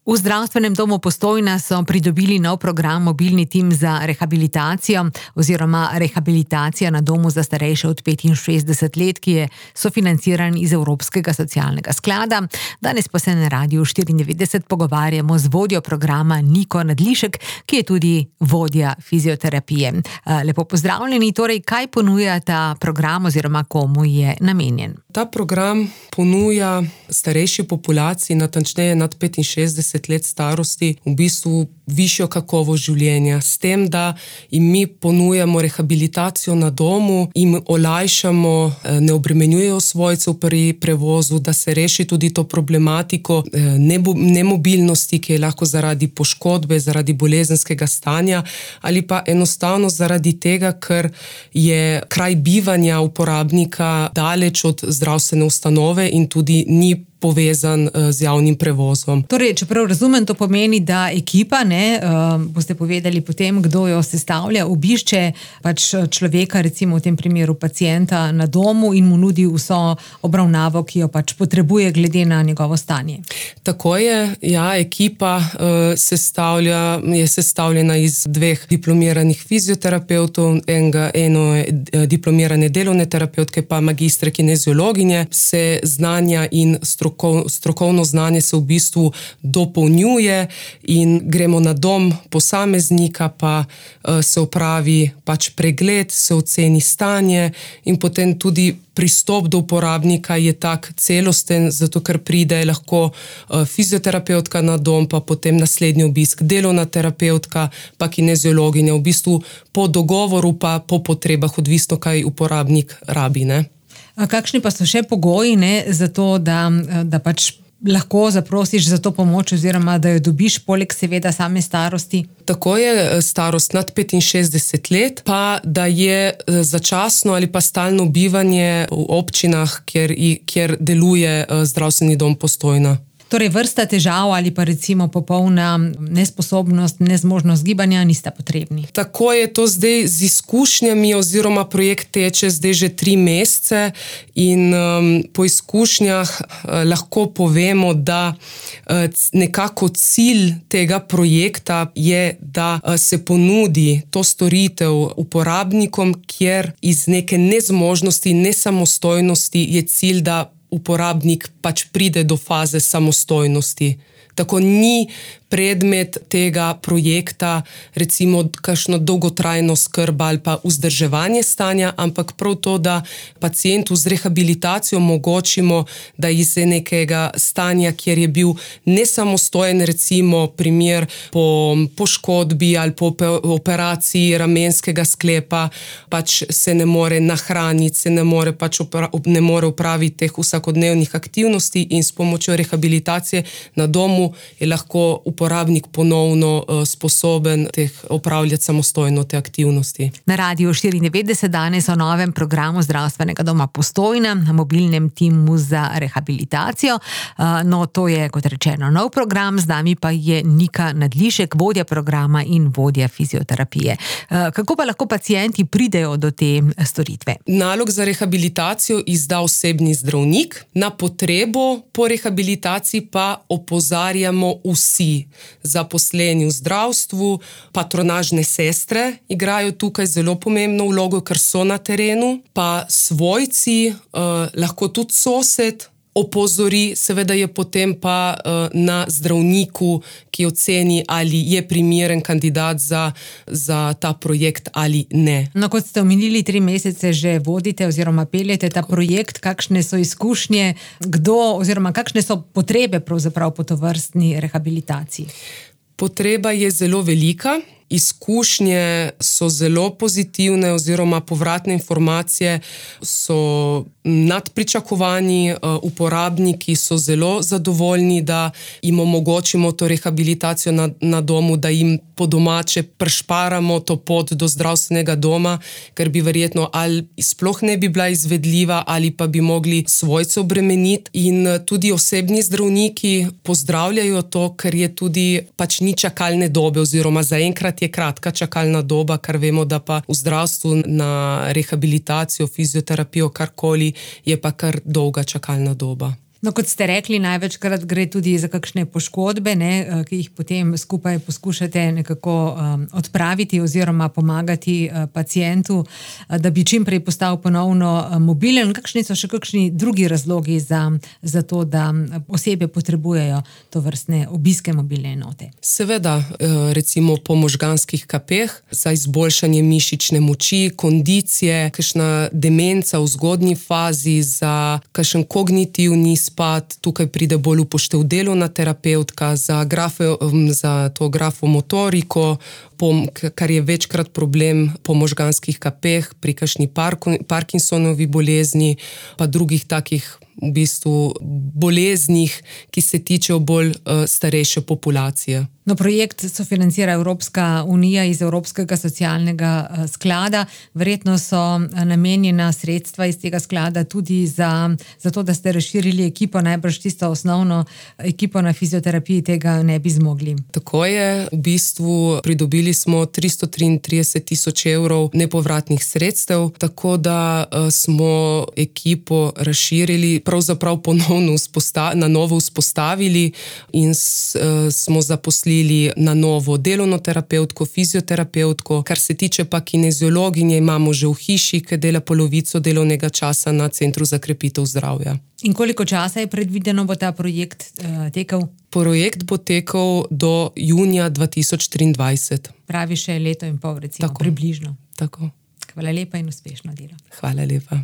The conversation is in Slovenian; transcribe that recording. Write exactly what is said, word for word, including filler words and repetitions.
V zdravstvenem domu Postojna so pridobili nov program Mobilni tim za rehabilitacijo oziroma rehabilitacija na domu za starejše od petinšestdeset let, ki je sofinanciran iz Evropskega socialnega sklada. Danes pa se na Radiu štiriindevetdeset pogovarjamo z vodjo programa Niko Nadlišek, ki je tudi vodja fizioterapije. Lepo pozdravljeni, torej kaj ponuja ta program oziroma komu je namenjen? Ta program ponuja starejši populaciji, natančneje nad petinšestdeset let starosti, v bistvu višjo kakovost življenja. S tem, da jim mi ponujamo rehabilitacijo na domu, jim olajšamo, ne obremenjujejo svojcev pri prevozu, da se reši tudi to problematiko nemobilnosti, ki je lahko zaradi poškodbe, zaradi bolezenskega stanja ali pa enostavno zaradi tega, ker je kraj bivanja uporabnika daleč od zdravstvene ustanove in tudi ni povezan z javnim prevozom. Torej, čeprav razumem, to pomeni, da ekipa, ne, uh, boste povedali potem, kdo jo sestavlja, obišče pač človeka, recimo v tem primeru pacienta na domu in mu nudi vso obravnavo, ki jo pač potrebuje glede na njegovo stanje. Tako je, ja, ekipa uh, sestavlja, je sestavljena iz dveh diplomiranih fizioterapevtov, enega, eno je diplomirane delovne terapeutke, pa magistre kineziologinje. Se znanja in struktura strokovno znanje se v bistvu dopolnjuje in gremo na dom posameznika, pa se opravi pač pregled, se oceni stanje in potem tudi pristop do uporabnika je tak celosten, zato ker pride lahko fizioterapeutka na dom, pa potem naslednji obisk delovna terapeutka, pa kineziologinja, v bistvu po dogovoru pa po potrebah, odvisno kaj uporabnik rabi, ne. A kakšni pa so še pogoji, ne, za to, da, da pač lahko zaprosiš za to pomoč oziroma da jo dobiš poleg seveda same starosti? Tako je starost nad petinšestdeset let, pa da je začasno ali pa stalno bivanje v občinah, kjer, kjer deluje zdravstveni dom Postojna. Torej vrsta težav ali pa recimo popolna nesposobnost, nezmožnost gibanja nista potrebni. Tako je to zdaj z izkušnjami oziroma projekt teče zdaj že tri mesece in um, po izkušnjah uh, lahko povemo, da uh, nekako cilj tega projekta je, da uh, se ponudi to storitev uporabnikom, kjer iz neke nezmožnosti, nesamostojnosti je cilj, da uporabnik pač pride do faze samostojnosti. Tako ni predmet tega projekta recimo kakšno dolgotrajno skrb ali pa vzdrževanje stanja, ampak prav to, da pacientu z rehabilitacijo omogočimo, da iz nekega stanja, kjer je bil nesamostojen, recimo primer po poškodbi ali po operaciji ramenskega sklepa, pač se ne more nahraniti, se ne more pač opra, ne more opraviti teh vsakodnevnih aktivnosti in s pomočjo rehabilitacije na domu je lahko uporabnik ponovno uh, sposoben teh opravljati samostojno te aktivnosti. Na Radiu štiriindevetdeset danes o novem programu zdravstvenega doma Postojna, na mobilnem timu za rehabilitacijo. Uh, no, to je, kot rečeno, nov program, z nami pa je Nika Nadlišek, vodja programa in vodja fizioterapije. Uh, kako pa lahko pacienti pridejo do te storitve? Nalog za rehabilitacijo izda osebni zdravnik, na potrebo po rehabilitaciji pa opozarjamo vsi zaposleni v zdravstvu, patronažne sestre igrajo tukaj zelo pomembno vlogo, ker so na terenu, pa svojci, eh, lahko tudi sosed opozori, seveda je potem pa eh, na zdravniku, ki oceni, ali je primeren kandidat za, za ta projekt ali ne. No, kot ste omenili, tri mesece že vodite oziroma peljete ta projekt, kakšne so izkušnje, kdo oziroma kakšne so potrebe pravzaprav po tovrstni rehabilitaciji? Potreba je zelo velika. Izkušnje so zelo pozitivne oziroma povratne informacije so nad pričakovanji, uporabniki so zelo zadovoljni, da jim omogočimo to rehabilitacijo na, na domu, da jim po domače prešparamo to pot do zdravstvenega doma, ker bi verjetno ali sploh ne bi bila izvedljiva ali pa bi mogli svojce obremeniti. In tudi osebni zdravniki pozdravljajo to, ker je tudi pač ni čakalne dobe oziroma zaenkrat je kratka čakalna doba, kar vemo, da pa v zdravstvu na rehabilitacijo, fizioterapijo, karkoli, je pa kar dolga čakalna doba. No, kot ste rekli, največkrat gre tudi za kakšne poškodbe, ne, ki jih potem skupaj poskušate nekako um, odpraviti oziroma pomagati uh, pacientu, uh, da bi čim prej postal ponovno uh, mobilen. Kakšni so še kakšni drugi razlogi za, za to, da osebe potrebujejo to vrstne obiske mobilne enote? Seveda, recimo po možganskih kapeh, za izboljšanje mišične moči, kondicije, kakšna demenca v zgodnji fazi, za kakšen kognitivni spad, tukaj pride bolj upoštev delovna terapevtka, za, grafo, za to grafomotoriko, kar je večkrat problem po možganskih kapeh, pri kakšni Parkinsonovi bolezni, pa drugih takih v bistvu boleznih, ki se tičejo bolj uh, starejše populacije. No, projekt sofinancira Evropska unija iz Evropskega socialnega uh, sklada. Verjetno so namenjena sredstva iz tega sklada tudi za, za to, da ste razširili ekipo, najbrž tisto osnovno ekipo na fizioterapiji tega ne bi zmogli. Tako je, v bistvu pridobili smo tristo triintrideset tisoč evrov nepovratnih sredstev, tako da uh, smo ekipo razširili, pravzaprav ponovno na novo vzpostavili in s, uh, smo zaposlili na novo delovno terapevtko, fizioterapevtko. Kar se tiče pa kineziologinje, imamo že v hiši, ki dela polovico delovnega časa na Centru za krepitev zdravja. In koliko časa je predvideno, bo ta projekt uh, tekel? Projekt bo tekel do junija dva tisoč triindvajset. Pravi še leto in pol, recimo, tako, približno. Tako. Hvala lepa in uspešno delo. Hvala lepa.